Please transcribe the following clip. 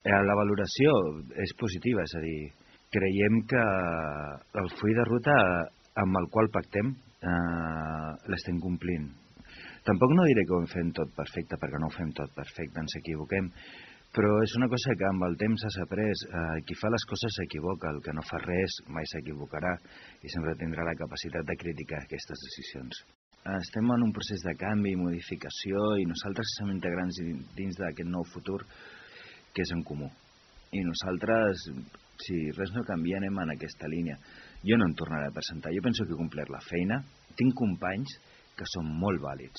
La valoració és positiva, és a dir, creiem que el full de ruta amb el qual pactem l'estem complint. Tampoc no diré que ho fem tot perfecte, perquè no ho fem tot perfecte, ens equivoquem, però és una cosa que amb el temps has après. Qui fa les coses s'equivoca, el que no fa res mai s'equivocarà i sempre tindrà la capacitat de criticar aquestes decisions. Estem en un procés de canvi i modificació i nosaltres som integrants dins d'aquest nou futur que és en comú. I nosaltres, si res no canvia, anem en aquesta línia. Jo no em tornaré a presentar, jo penso que he complert la feina, tinc companys que són molt vàlids.